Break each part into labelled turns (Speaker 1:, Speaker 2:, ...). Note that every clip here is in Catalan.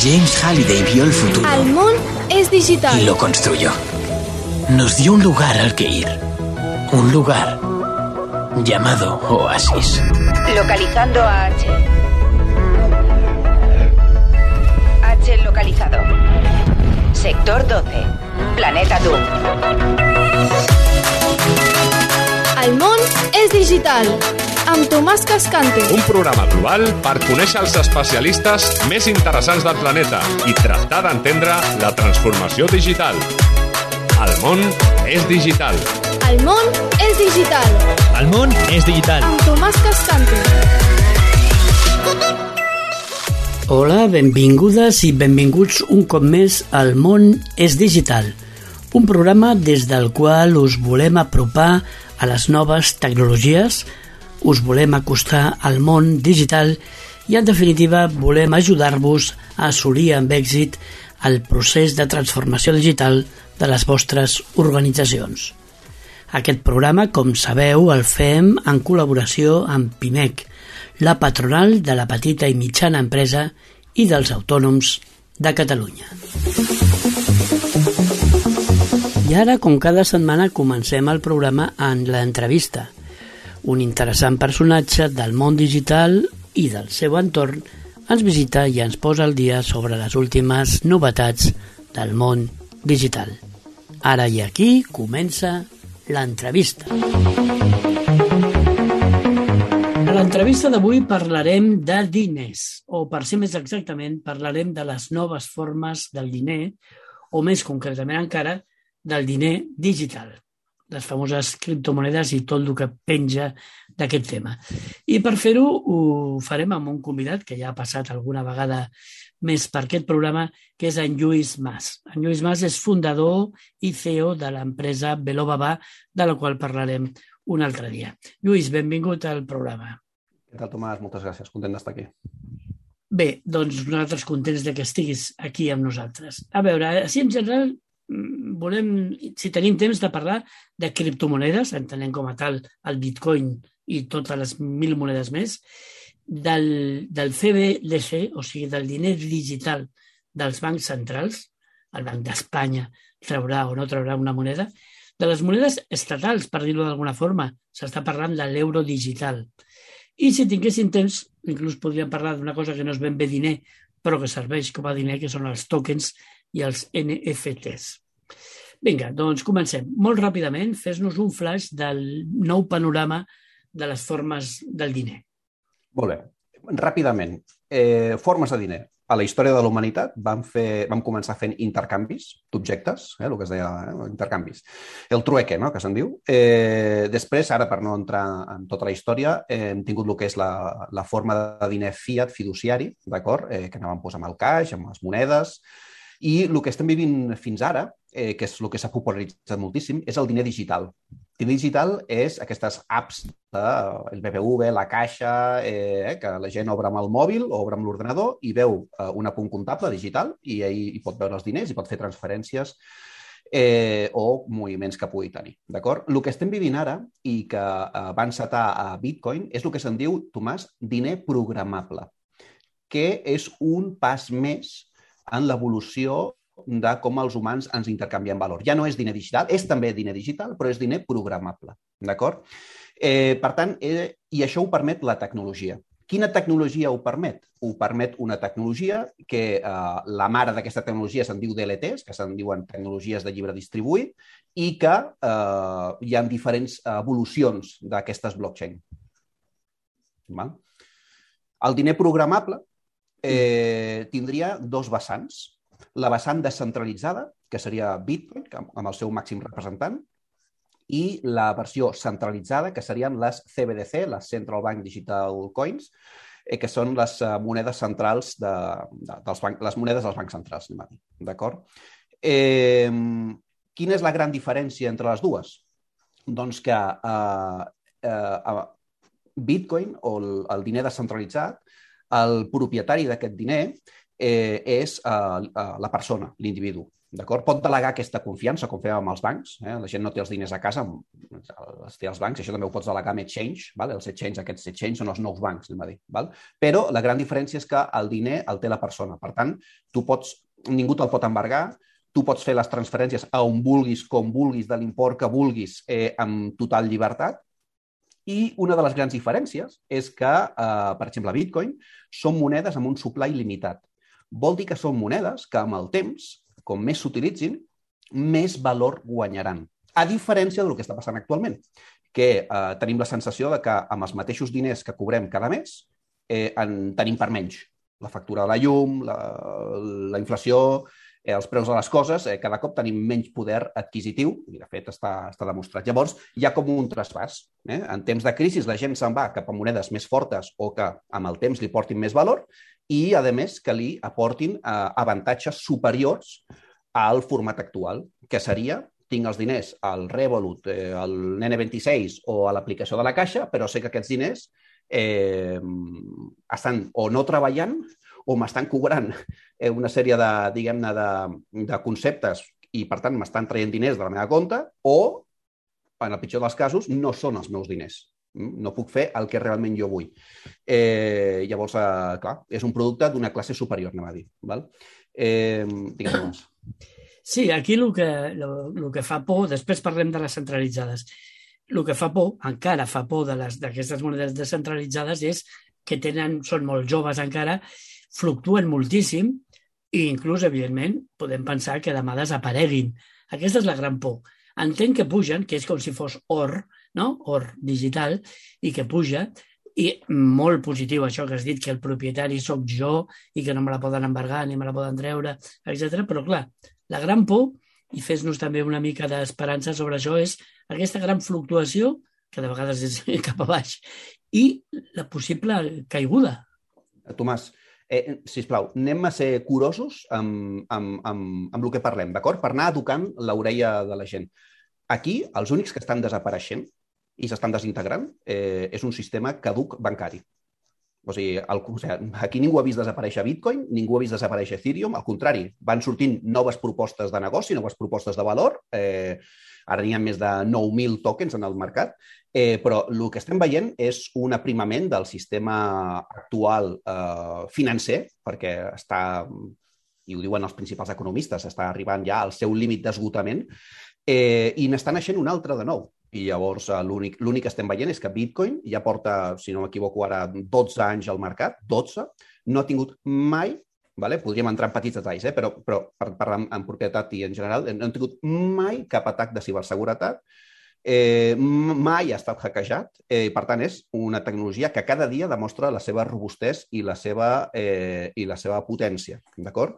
Speaker 1: James Halliday vio el futuro.
Speaker 2: El món es digital.
Speaker 1: Y lo construyó. Nos dio un lugar al que ir. Un lugar llamado Oasis.
Speaker 3: Localizando a H. H localizado. Sector 12. Planeta Doom.
Speaker 2: El món és digital. Amb Tomàs Cascante.
Speaker 4: Un programa global per conèixer els especialistes més interessants del planeta i tractar d'entendre la transformació digital. El món és digital.
Speaker 2: El món és digital.
Speaker 5: El món és digital.
Speaker 2: Amb Tomàs Cascante.
Speaker 6: Hola, benvingudes i benvinguts un cop més al món és digital. Un programa des del qual us volem apropar a les noves tecnologies, us volem acostar al món digital i, en definitiva, volem ajudar-vos a assolir amb èxit el procés de transformació digital de les vostres organitzacions. Aquest programa, com sabeu, el fem en col·laboració amb PIMEC, la patronal de la petita i mitjana empresa i dels autònoms de Catalunya. I ara, com cada setmana, comencem el programa en l'entrevista. Un interessant personatge del món digital i del seu entorn ens visita i ens posa al dia sobre les últimes novetats del món digital. Ara i aquí comença l'entrevista. A l'entrevista d'avui parlarem de diners, o per ser més exactament, parlarem de les noves formes del diner, o més concretament encara, del diner digital, les famoses criptomonedes i tot el que penja d'aquest tema. I per fer-ho ho farem amb un convidat que ja ha passat alguna vegada més per aquest programa, que és en Lluís Mas. En Lluís Mas és fundador i CEO de l'empresa Velobaba, de la qual parlarem un altre dia. Lluís, benvingut al programa.
Speaker 7: Què tal, Tomàs? Moltes gràcies. Content d'estar aquí.
Speaker 6: Bé, doncs nosaltres contents de que estiguis aquí amb nosaltres. A veure, així en general volem, si tenim temps, de parlar de criptomonedes, entenent com a tal el bitcoin i totes les 1.000 monedes més, del CBDC, o sigui, del diner digital dels bancs centrals, el Banc d'Espanya traurà o no traurà una moneda, de les monedes estatals, per dir-ho d'alguna forma, s'està parlant de l'euro digital. I si tinguéssim temps, inclús podríem parlar d'una cosa que no és ben bé diner, però que serveix com a diner, que són els tokens i els NFTs. Vinga, doncs comencem. Molt ràpidament, fes-nos un flash del nou panorama de les formes del diner.
Speaker 7: Molt bé. Ràpidament. Formes de diner. A la història de la humanitat vam començar fent intercanvis d'objectes, el que es deia intercanvis. El trueque, no?, que se'n diu. Després, ara per no entrar en tota la història, hem tingut el que és la forma de diner fiat fiduciari, d'acord? Que anàvem amb el caix, amb les monedes. I el que estem vivint fins ara, que és el que s'ha popularitzat moltíssim, és el diner digital. El diner digital és aquestes apps del BBV, la Caixa, que la gent obre amb el mòbil o obre amb l'ordenador i veu un apunt comptable digital i hi pot veure els diners i pot fer transferències o moviments que pugui tenir. D'acord? El que estem vivint ara i que va encetar a Bitcoin és el que se'n diu, Tomàs, diner programable, que és un pas més en l'evolució de com els humans ens intercanviem valor. Ja no és diner digital, és també diner digital, però és diner programable. D'acord? Per tant, i això ho permet la tecnologia. Quina tecnologia ho permet? Ho permet una tecnologia que la mare d'aquesta tecnologia se'n diu DLTs, que se'n diuen tecnologies de llibre distribuït, i que hi ha diferents evolucions d'aquestes blockchain. El diner programable tindria dos vessants. La vessant descentralitzada, que seria Bitcoin, amb el seu màxim representant, i la versió centralitzada, que serien les CBDC, les Central Bank Digital Coins, que són les monedes centrals les monedes dels bancs centrals, d'acord? Quina és la gran diferència entre les dues? Doncs que Bitcoin, o el diner descentralitzat, el propietari d'aquest diner és la persona, l'individu. d'acord? Pot delegar aquesta confiança, com fèiem amb els bancs. La gent no té els diners a casa, els té als bancs. Això també ho pots delegar amb Exchange. Els Exchange, aquests Exchange són els nous bancs, anem a dir. Però la gran diferència és que el diner el té la persona. Per tant, ningú te'l pot embargar, tu pots fer les transferències a on vulguis, com vulguis, de l'import que vulguis, amb total llibertat. I una de les grans diferències és que, per exemple, Bitcoin són monedes amb un supply limitat. Vol dir que són monedes que amb el temps, com més s'utilitzin, més valor guanyaran. A diferència del que està passant actualment, que tenim la sensació de que amb els mateixos diners que cobrem cada mes en tenim per menys. La factura de la llum, la inflació, els preus de les coses, cada cop tenim menys poder adquisitiu, i de fet està demostrat. Llavors, hi ha com un traspàs. En temps de crisi la gent se'n va cap a monedes més fortes o que amb el temps li portin més valor i, a més, que li aportin avantatges superiors al format actual, que seria tinc els diners al Revolut, al N26 o a l'aplicació de la Caixa, però sé que aquests diners estan o no treballant o m'estan cobrant una sèrie de conceptes i, per tant, m'estan traient diners de la meva compte o, en el pitjor dels casos, no són els meus diners. No puc fer el que realment jo vull. Llavors, clar, és un producte d'una classe superior, anem a dir. Digue'm.
Speaker 6: Sí, aquí el que fa por, després parlem de les centralitzades, el que fa por, encara fa por d'aquestes monedes descentralitzades és que són molt joves encara, fluctuen moltíssim i inclús, evidentment, podem pensar que demà desapareguin. Aquesta és la gran por. Entenc que pugen, que és com si fos or, no? Or digital, i que puja, i molt positiu això que has dit, que el propietari sóc jo i que no me la poden embargar ni me la poden treure, etc. Però, clar, la gran por, i fes-nos també una mica d'esperança sobre això, és aquesta gran fluctuació, que de vegades és cap a baix, i la possible caiguda.
Speaker 7: Tomàs, sisplau, anem a ser curosos amb el que parlem, d'acord? Per anar educant l'orella de la gent. Aquí, els únics que estan desapareixent i s'estan desintegrant és un sistema caduc bancari. O sigui, aquí ningú ha vist desaparèixer Bitcoin, ningú ha vist desaparèixer Ethereum, al contrari, van sortint noves propostes de negoci, noves propostes de valor, ara n'hi ha més de 9.000 tokens en el mercat, però el que estem veient és un aprimament del sistema actual financer, perquè està, i ho diuen els principals economistes, està arribant ja al seu límit d'esgotament, i n'està naixent un altre de nou. I llavors l'únic que estem veient és que Bitcoin ja porta, si no m'equivoco ara, 12 anys al mercat, 12, no ha tingut mai, podríem entrar en petits detalls, però per parlar en propietat i en general, no han tingut mai cap atac de ciberseguretat, mai ha estat hackejat, i per tant és una tecnologia que cada dia demostra la seva robustesa i la seva potència, d'acord?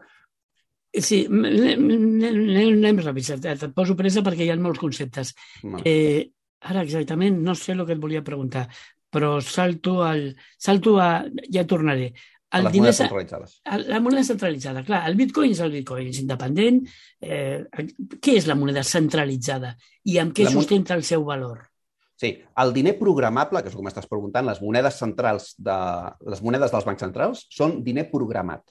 Speaker 6: Sí, anem ràpid, et poso pressa perquè hi ha molts conceptes. Ara exactament no sé el que et volia preguntar, però salto a... Ja tornaré.
Speaker 7: Les monedes centralitzades.
Speaker 6: La moneda centralitzada, clar, el Bitcoin és el Bitcoin, és independent. Què és la moneda centralitzada i amb què sustenta el seu valor?
Speaker 7: Sí, el diner programable, que és com estàs preguntant, les monedes centrals, les monedes dels bancs centrals són diner programat.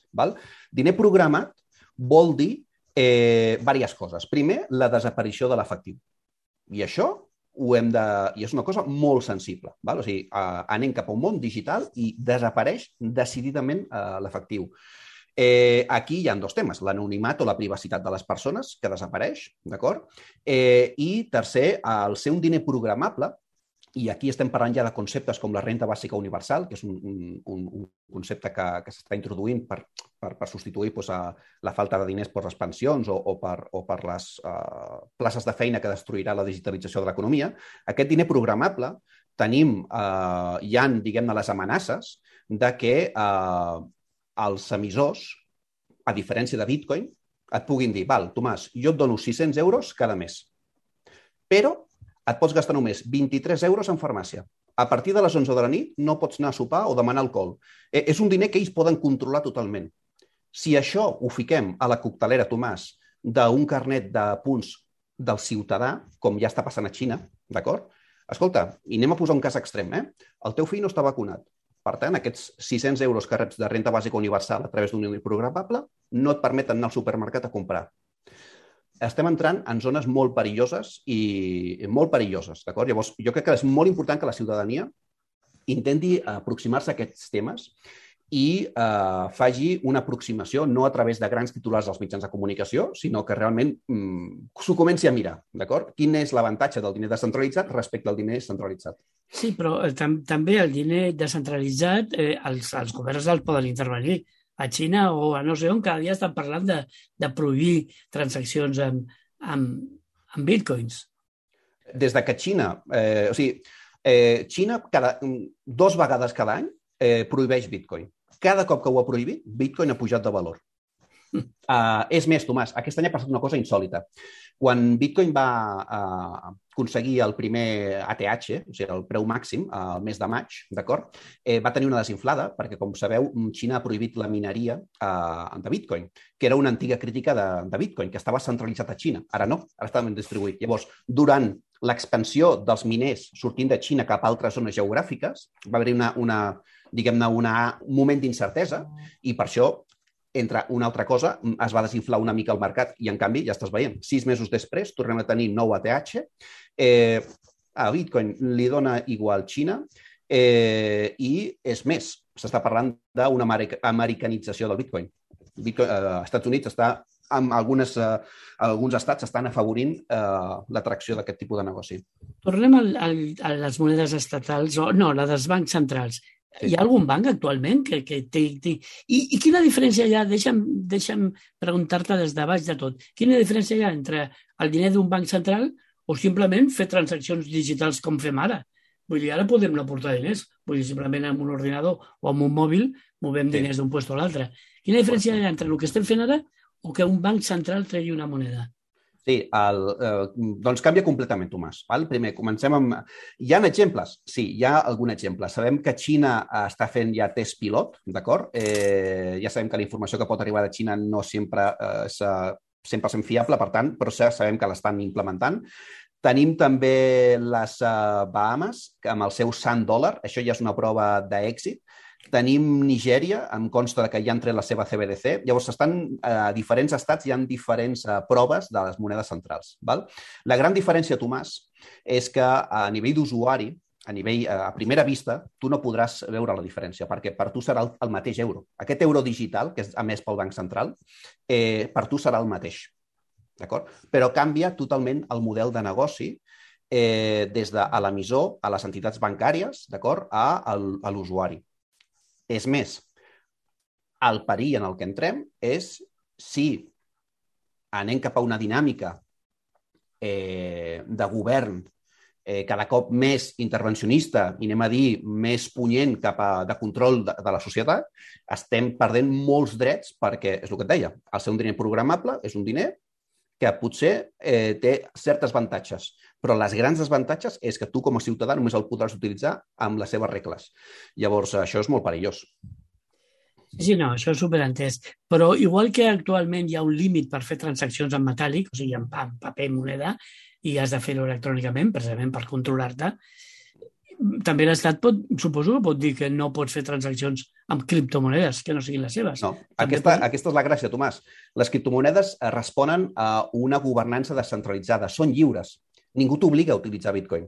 Speaker 7: Diner programat vol dir diverses coses. Primer, la desaparició de l'efectiu. I això i és una cosa molt sensible. O sigui, anem cap a un món digital i desapareix decididament l'efectiu. Aquí hi ha dos temes, l'anonimat o la privacitat de les persones, que desapareix, d'acord? I tercer, el ser un diner programable, i aquí estem parlant ja de conceptes com la renda bàsica universal, que és un concepte que s'està introduint per substituir la falta de diners per les pensions o per les places de feina que destruirà la digitalització de l'economia. Aquest diner programable hi ha, diguem-ne, les amenaces de que els emissors, a diferència de Bitcoin, et puguin dir, val, Tomàs, jo et dono 600 euros cada mes, però et pots gastar només 23 euros en farmàcia. A partir de les 11 de la nit no pots anar a sopar o demanar alcohol. És un diner que ells poden controlar totalment. Si això ho fiquem a la coctelera, Tomàs, d'un carnet de punts del ciutadà, com ja està passant a Xina, d'acord? Escolta, i anem a posar un cas extrem, el teu fill no està vacunat. Per tant, aquests 600 euros que reps de renda bàsica universal a través d'un diner programable no et permeten anar al supermercat a comprar. estem entrant en zones molt perilloses i molt perilloses, d'acord? Llavors, jo crec que és molt important que la ciutadania intenti aproximar-se a aquests temes i faci una aproximació no a través de grans titulars dels mitjans de comunicació, sinó que realment s'ho comenci a mirar, d'acord? Quin és l'avantatge del diner descentralitzat respecte al diner centralitzat?
Speaker 6: Sí, però també el diner descentralitzat, els governs el poden intervenir. A Xina o a no sé on, cada dia estan parlant de prohibir transaccions amb bitcoins.
Speaker 7: Des de que Xina, Xina 2 vegades cada any prohibeix bitcoin. Cada cop que ho ha prohibit, bitcoin ha pujat de valor. És més, Tomàs, aquest any ha passat una cosa insòlita. Quan Bitcoin va aconseguir el primer ATH, o sigui, el preu màxim, al mes de maig, d'acord? Va tenir una desinflada, perquè, com sabeu, Xina ha prohibit la mineria de Bitcoin, que era una antiga crítica de Bitcoin, que estava centralitzat a Xina. Ara no, ara està ben distribuït. Llavors, durant l'expansió dels miners sortint de Xina cap a altres zones geogràfiques, va haver-hi un moment d'incertesa i per això, entre una altra cosa, es va desinflar una mica el mercat i, en canvi, ja estàs veient, 6 mesos després tornem a tenir nou ATH, a Bitcoin li dona igual Xina i, és més, s'està parlant d'una americanització del Bitcoin. Als Estats Units alguns estats estan afavorint l'atracció d'aquest tipus de negoci.
Speaker 6: Tornem a les monedes estatals, no, la dels bancs centrals. Sí. Hi ha algun banc actualment que té... I quina diferència hi ha? Deixa'm preguntar-te des de baix de tot. Quina diferència hi ha entre el diner d'un banc central o simplement fer transaccions digitals com fem ara? Vull dir, ara podem no portar diners. Vull dir, simplement amb un ordinador o amb un mòbil movem diners d'un lloc a l'altre. Quina diferència hi ha entre el que estem fent ara o que un banc central tregui una moneda?
Speaker 7: Sí, doncs canvia completament, Tomàs. Primer, comencem amb... Hi ha exemples? Sí, hi ha algun exemple. Sabem que Xina està fent ja test pilot, d'acord? Ja sabem que la informació que pot arribar de Xina no sempre és 100% fiable, per tant, però sabem que l'estan implementant. Tenim també les Bahamas, amb el seu sant dòlar. Això ja és una prova d'èxit. Tenim Nigèria, em consta que ja han tret la seva CBDC. Llavors, a diferents estats hi ha diferents proves de les monedes centrals. Val? La gran diferència, Tomàs, és que a nivell d'usuari, a primera vista, tu no podràs veure la diferència, perquè per tu serà el mateix euro. Aquest euro digital, que és emès pel Banc Central, per tu serà el mateix. D'acord? Però canvia totalment el model de negoci des de l'emissor a les entitats bancàries, d'acord, a l'usuari. És més, el perill en el que entrem és si anem cap a una dinàmica de govern cada cop més intervencionista i, anem a dir, més punyent de control de la societat, estem perdent molts drets perquè, és el que et deia, el ser un diner programable és un diner que potser té certes avantatges, però les grans desavantatges és que tu com a ciutadà només el podràs utilitzar amb les seves regles. Llavors, això és molt perillós.
Speaker 6: Sí, no, això és superentès. Però igual que actualment hi ha un límit per fer transaccions en metàl·lic, o sigui, en paper i moneda, i has de fer-ho electrònicament, precisament per controlar-te, també l'Estat suposo que pot dir que no pots fer transaccions amb criptomonedes que no siguin les seves.
Speaker 7: No, aquesta és la gràcia, Tomàs. Les criptomonedes responen a una governança descentralitzada. Són lliures. Ningú t'obliga a utilitzar Bitcoin.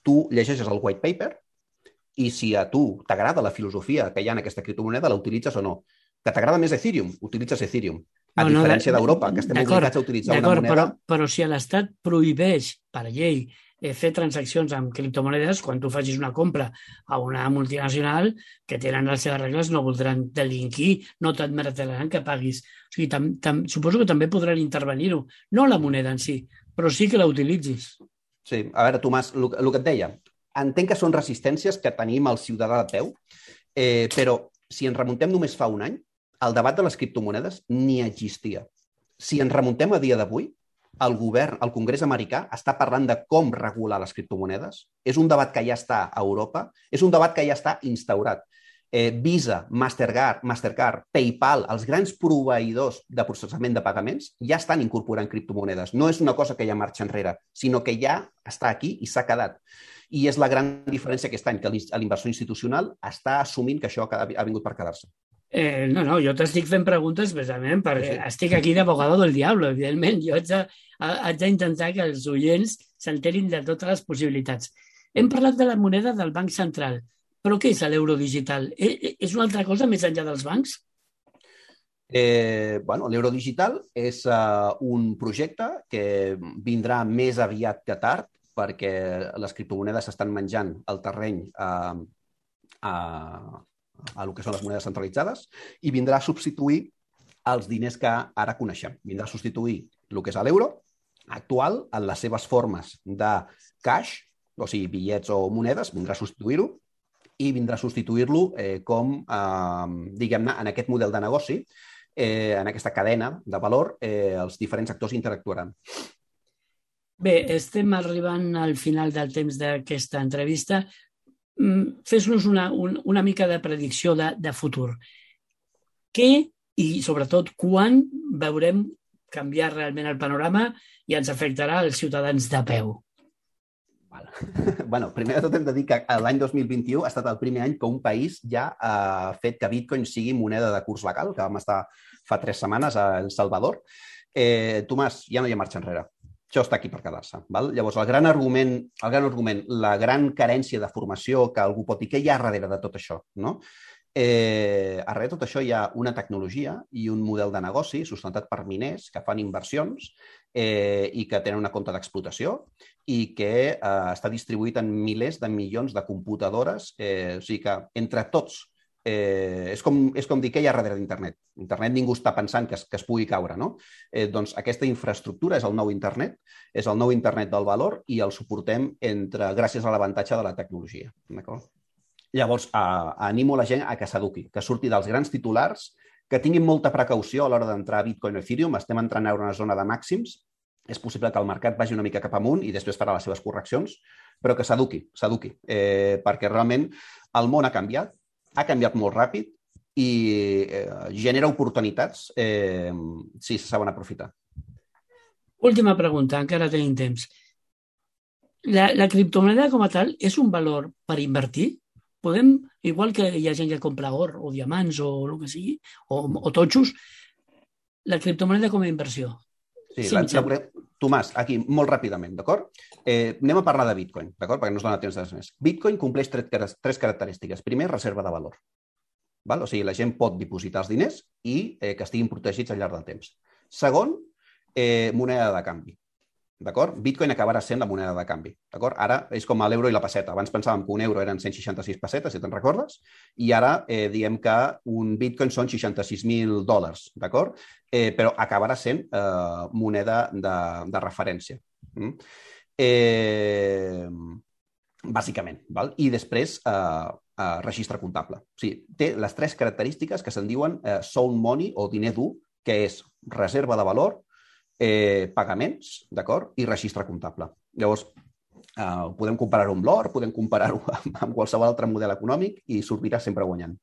Speaker 7: Tu llegeixes el white paper i si a tu t'agrada la filosofia que hi ha en aquesta criptomoneda, la utilitzes o no. Que t'agrada més Ethereum, utilitzes Ethereum. A diferència d'Europa, que estem obligats a utilitzar una moneda...
Speaker 6: Però si l'Estat prohibeix per llei fer transaccions amb criptomonedes, quan tu facis una compra a una multinacional que tenen les seves regles no voldran delinquir, no t'admetiran que paguis. O sigui, suposo que també podran intervenir-ho, no la moneda en si, però sí que la utilitzis.
Speaker 7: Sí, a veure, Tomàs, el que et deia, entenc que són resistències que tenim el ciutadà de peu, però si ens remuntem només fa un any, el debat de les criptomonedes ni existia. Si ens remuntem a dia d'avui, el govern, el Congrés americà, està parlant de com regular les criptomonedes. És un debat que ja està a Europa, és un debat que ja està instaurat. Visa, Mastercard, PayPal, els grans proveïdors de processament de pagaments ja estan incorporant criptomonedes. No és una cosa que ja marxa enrere, sinó que ja està aquí i s'ha quedat. I és la gran diferència aquest any, que l'inversor institucional està assumint que això ha vingut per quedar-se.
Speaker 6: No, jo t'estic fent preguntes precisament perquè estic aquí d'abogado del diablo, evidentment. Jo haig d'intentar que els oients s'enterin de totes les possibilitats. Hem parlat de la moneda del Banc Central, però què és l'euro digital? És una altra cosa més enllà dels bancs?
Speaker 7: L'euro digital és un projecte que vindrà més aviat que tard perquè les criptomonedes s'estan menjant el terreny a el que són les monedes centralitzades i vindrà a substituir els diners que ara coneixem. Vindrà a substituir el que és l'euro actual en les seves formes de cash, o sigui, bitllets o monedes, vindrà a substituir-ho i vindrà a substituir-lo diguem-ne, en aquest model de negoci, en aquesta cadena de valor, els diferents actors interactuaran.
Speaker 6: Bé, estem arribant al final del temps d'aquesta entrevista. Fes-nos una mica de predicció de futur. Què i, sobretot, quan veurem canviar realment el panorama i ens afectarà als ciutadans de peu?
Speaker 7: Primer de tot hem de dir que l'any 2021 ha estat el primer any que un país ja ha fet que Bitcoin sigui moneda de curs legal, que vam estar fa 3 setmanes a El Salvador. Tomàs, ja no hi ha marxa enrere. Això està aquí per quedar-se. Llavors, el gran argument, la gran carència de formació que algú pot dir que hi ha darrere de tot això, no? Darrere de tot això hi ha una tecnologia i un model de negoci sustentat per miners que fan inversions i que tenen una compta d'explotació i que està distribuït en milers de milions de computadores. O sigui que entre tots és com dir que hi ha darrere d'Internet. Internet ningú està pensant que es pugui caure, no? Doncs aquesta infraestructura és el nou Internet, és el nou Internet del valor i el suportem gràcies a l'avantatge de la tecnologia. Llavors, animo la gent a que s'eduqui, que surti dels grans titulars, que tinguin molta precaució a l'hora d'entrar a Bitcoin o Ethereum. Estem entrant ara en una zona de màxims. És possible que el mercat vagi una mica cap amunt i després farà les seves correccions, però que s'eduqui, perquè realment el món ha canviat molt ràpid i genera oportunitats si se saben aprofitar.
Speaker 6: Última pregunta, encara tenim temps. La criptomoneda com a tal és un valor per invertir? Podem, igual que hi ha gent que compra or o diamants o el que sigui, o totxos, la criptomoneda com a inversió?
Speaker 7: Sí, Tomàs, aquí, molt ràpidament, d'acord? Anem a parlar de Bitcoin, d'acord? Perquè no es dona temps de més. Bitcoin compleix 3 característiques. Primer, reserva de valor. O sigui, la gent pot dipositar els diners i que estiguin protegits al llarg del temps. Segon, moneda de canvi. D'acord? Bitcoin acabarà sent la moneda de canvi. D'acord? Ara és com l'euro i la pesseta. Abans pensàvem que un euro eren 166 pessetes, si te'n recordes, i ara diem que un Bitcoin són $66.000, d'acord? Però acabarà sent moneda de referència. Bàsicament. I després, registre comptable. O sigui, té les 3 característiques que se'n diuen sound money o diner dur, que és reserva de valor, pagaments, d'acord? I registre comptable. Llavors, podem comparar-ho amb l'or, podem comparar-ho amb qualsevol altre model econòmic i sortirà sempre guanyant.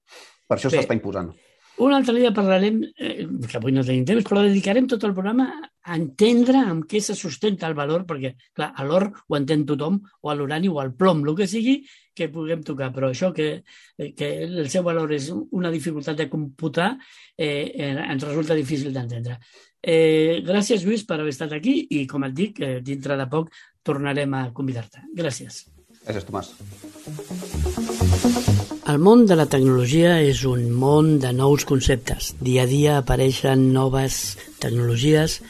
Speaker 7: Per això s'està imposant.
Speaker 6: Un altre dia parlarem, que avui no tenim temps, però dedicarem tot el programa a entendre amb què se sustenta el valor, perquè, clar, a l'or ho entén tothom, o a l'urani o al plom, el que sigui, que puguem tocar, però això que el seu valor és una dificultat de computar ens resulta difícil d'entendre. Gràcies, Lluís, per haver estat aquí i, com et dic, dintre de poc tornarem a convidar-te. Gràcies.
Speaker 7: Gràcies, Tomàs.
Speaker 6: El món de la tecnologia és un món de nous conceptes. Dia a dia apareixen noves tecnologies,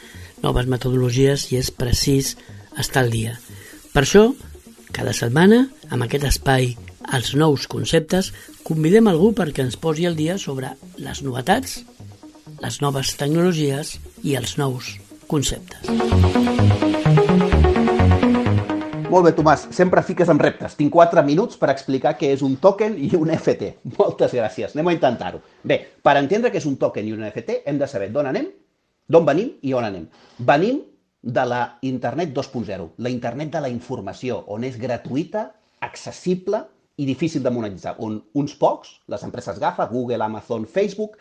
Speaker 6: noves metodologies i és precís estar al dia. Per això, cada setmana, amb aquest espai, els nous conceptes, convidem algú perquè ens posi al dia sobre les novetats, les noves tecnologies i els nous conceptes.
Speaker 7: Molt bé, Tomàs, sempre fiques amb reptes. Tinc 4 minuts per explicar què és un token i un NFT. Moltes gràcies, anem a intentar-ho. Bé, per entendre què és un token i un NFT hem de saber d'on anem, d'on venim i on anem. Venim de la Internet 2.0, la Internet de la informació, on és gratuïta, accessible i difícil de monetitzar, on uns pocs, les empreses GAFA, Google, Amazon, Facebook,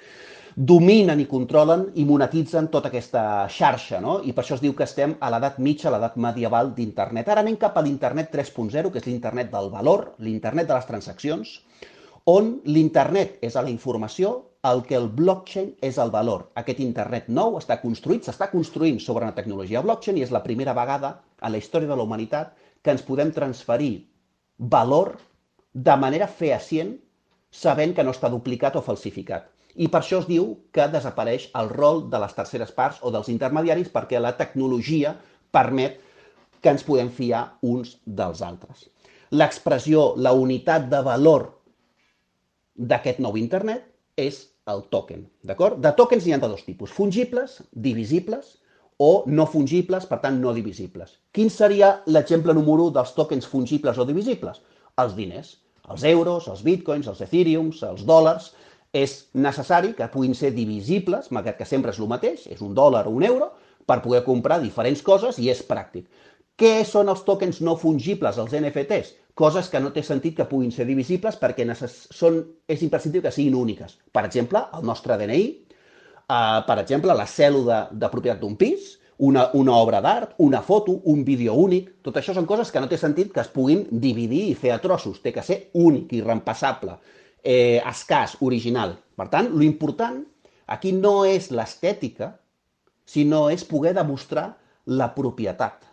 Speaker 7: dominen i controlen i monetitzen tota aquesta xarxa, no? I per això es diu que estem a l'edat mitja, a l'edat medieval d'Internet. Ara anem cap a l'Internet 3.0, que és l'Internet del valor, l'Internet de les transaccions, On l'internet és a la informació, el que el blockchain és el valor. Aquest internet nou s'està construint sobre una tecnologia blockchain i és la primera vegada a la història de la humanitat que ens podem transferir valor de manera fehacient sabent que no està duplicat o falsificat. I per això es diu que desapareix el rol de les terceres parts o dels intermediaris perquè la tecnologia permet que ens podem fiar uns dels altres. L'expressió, la unitat de valor d'aquest nou internet és el token, d'acord? De tokens n'hi ha de dos tipus, fungibles, divisibles, o no fungibles, per tant no divisibles. Quin seria l'exemple número 1 dels tokens fungibles o divisibles? Els diners, els euros, els bitcoins, els ethereums, els dòlars. És necessari que puguin ser divisibles, malgrat que sempre és el mateix, és un dòlar o un euro, per poder comprar diferents coses i és pràctic. Què són els tokens no fungibles, els NFTs? Coses que no té sentit que puguin ser divisibles perquè és imprescindible que siguin úniques. Per exemple, el nostre DNI, per exemple, la cèdula de propietat d'un pis, una obra d'art, una foto, un vídeo únic. Tot això són coses que no té sentit que es puguin dividir i fer a trossos. Té que ser únic, irreemplaçable, escàs, original. Per tant, l'important aquí no és l'estètica, sinó és poder demostrar la propietat.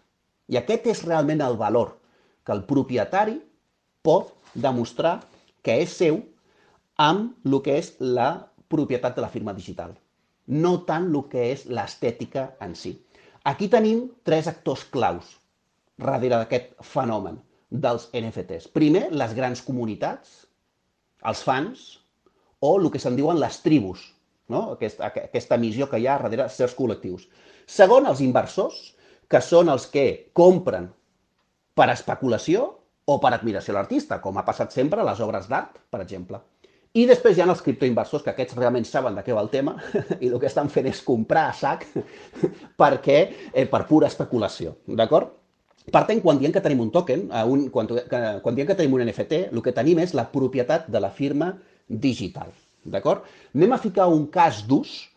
Speaker 7: I aquest és realment el valor, que el propietari pot demostrar que és seu amb el que és la propietat de la firma digital, no tant el que és l'estètica en si. Aquí tenim 3 actors claus darrere d'aquest fenomen dels NFTs. Primer, les grans comunitats, els fans, o el que se'n diuen les tribus, no? Aquesta missió que hi ha darrere certs col·lectius. Segon, els inversors, que són els que compren per especulació o per admiració a l'artista, com ha passat sempre a les obres d'art, per exemple. I després hi ha els criptoinversors, que aquests realment saben de què va el tema i el que estan fent és comprar a sac per pura especulació, d'acord? Per tant, quan diem que tenim un token, quan diem que tenim un NFT, el que tenim és la propietat de la firma digital, d'acord? Anem a ficar un cas d'ús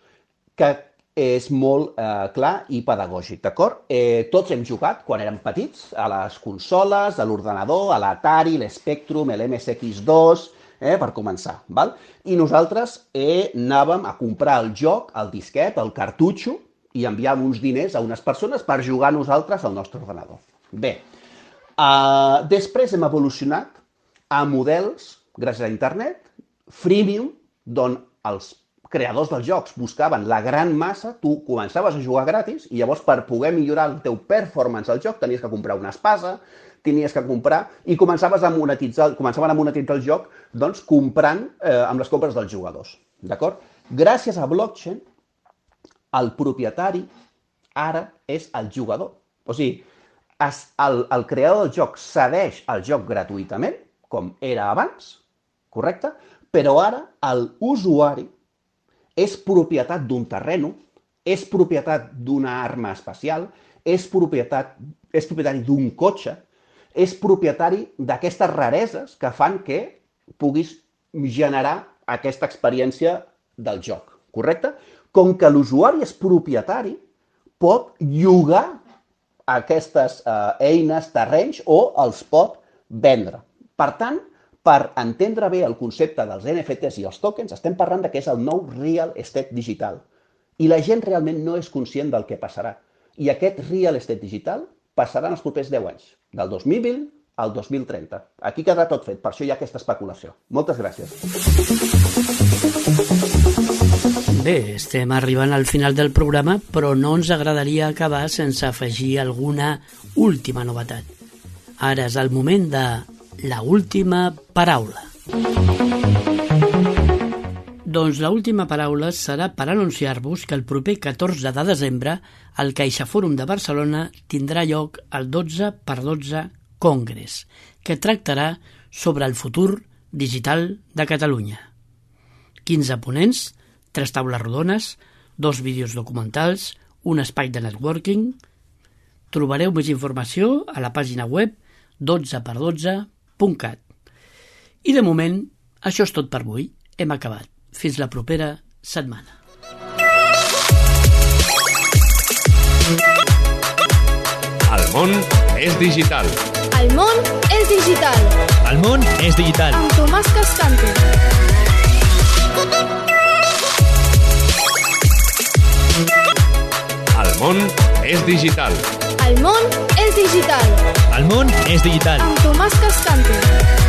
Speaker 7: que és molt clar i pedagògic, d'acord? Tots hem jugat, quan érem petits, a les consoles, a l'ordenador, a l'Atari, l'Spectrum, l'MSX2, per començar, val? I nosaltres anàvem a comprar el joc, el disquet, el cartutxo, i enviàvem uns diners a unes persones per jugar nosaltres al nostre ordenador. Bé, després hem evolucionat a models, gràcies a internet, freemium, d'on els creadors dels jocs buscaven la gran massa, tu començaves a jugar gratis i llavors per poder millorar el teu performance al joc tenies que comprar una espasa, tenies que comprar i començaven a monetitzar el joc doncs, comprant amb les compres dels jugadors. D'acord? Gràcies a blockchain, el propietari ara és el jugador. O sigui, el creador del joc cedeix el joc gratuïtament, com era abans, correcte? Però ara l'usuari és propietat d'un terreno, és propietat d'una arma espacial, és propietari d'un cotxe, és propietari d'aquestes rareses que fan que puguis generar aquesta experiència del joc, correcte? Com que l'usuari és propietari, pot llogar aquestes eines, terrenys, o els pot vendre. Per tant, per entendre bé el concepte dels NFTs i els tokens, estem parlant que és el nou real estate digital. I la gent realment no és conscient del que passarà. I aquest real estate digital passarà en els propers 10 anys, del 2020 al 2030. Aquí quedarà tot fet, per això hi ha aquesta especulació. Moltes gràcies.
Speaker 6: Bé, estem arribant al final del programa, però no ens agradaria acabar sense afegir alguna última novetat. Ara és el moment de la última paraula. Doncs l'última paraula serà per anunciar-vos que el proper 14 de desembre el CaixaForum de Barcelona tindrà lloc el 12x12 Congress, que tractarà sobre el futur digital de Catalunya. 15 ponents, 3 taules rodones, 2 vídeos documentals, un espai de networking. Trobareu més informació a la pàgina web 12x12.cat. I de moment, això és tot per avui. Hem acabat. Fins la propera setmana.
Speaker 4: El món és digital.
Speaker 2: El món és digital.
Speaker 5: El món és digital.
Speaker 2: Amb Tomàs Cascante.
Speaker 4: El món és digital.
Speaker 2: El món és digital.
Speaker 5: El món és digital.
Speaker 2: Amb Tomàs Cascante.